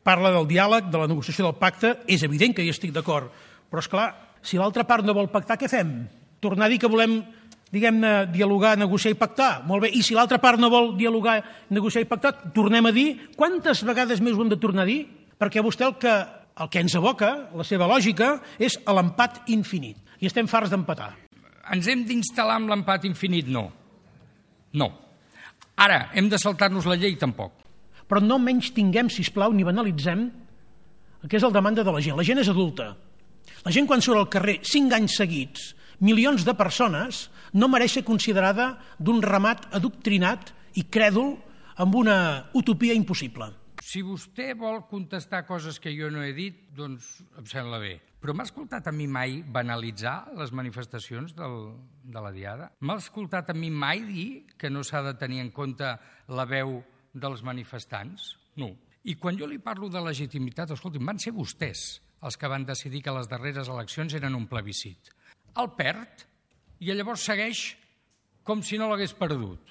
parla del diàleg, de la negociació del pacte, és evident que hi estic d'acord, però és clar, si l'altra part no vol pactar, què fem? Tornar a dir que volem, diguem-ne, dialogar, negociar i pactar? Molt bé, i si l'altra part no vol dialogar, negociar i pactar, tornem a dir, quantes vegades més ho hem de tornar a dir? Perquè vostè el que ens evoca, la seva lògica, és l'empat infinit, i estem farts d'empatar. Ens hem d'instal·lar amb l'empat infinit? No. No. Ara, hem de saltar-nos la llei? Tampoc. Però no menys tinguem, sisplau, ni banalitzem el que és el demanda de la gent. La gent és adulta. La gent, quan surt al carrer 5 anys seguits, milions de persones, no mereix ser considerada d'un ramat adoctrinat i crèdul amb una utopia impossible. Si vostè vol contestar coses que jo no he dit, doncs em sembla bé. Però m'ha escoltat a mi mai banalitzar les manifestacions de la Diada? M'ha escoltat a mi mai dir que no s'ha de tenir en compte la veu dels manifestants? No. I quan jo li parlo de legitimitat, escolti'm, van ser vostès els que van decidir que les darreres eleccions eren un plebiscit. El perd i llavors segueix com si no l'hagués perdut.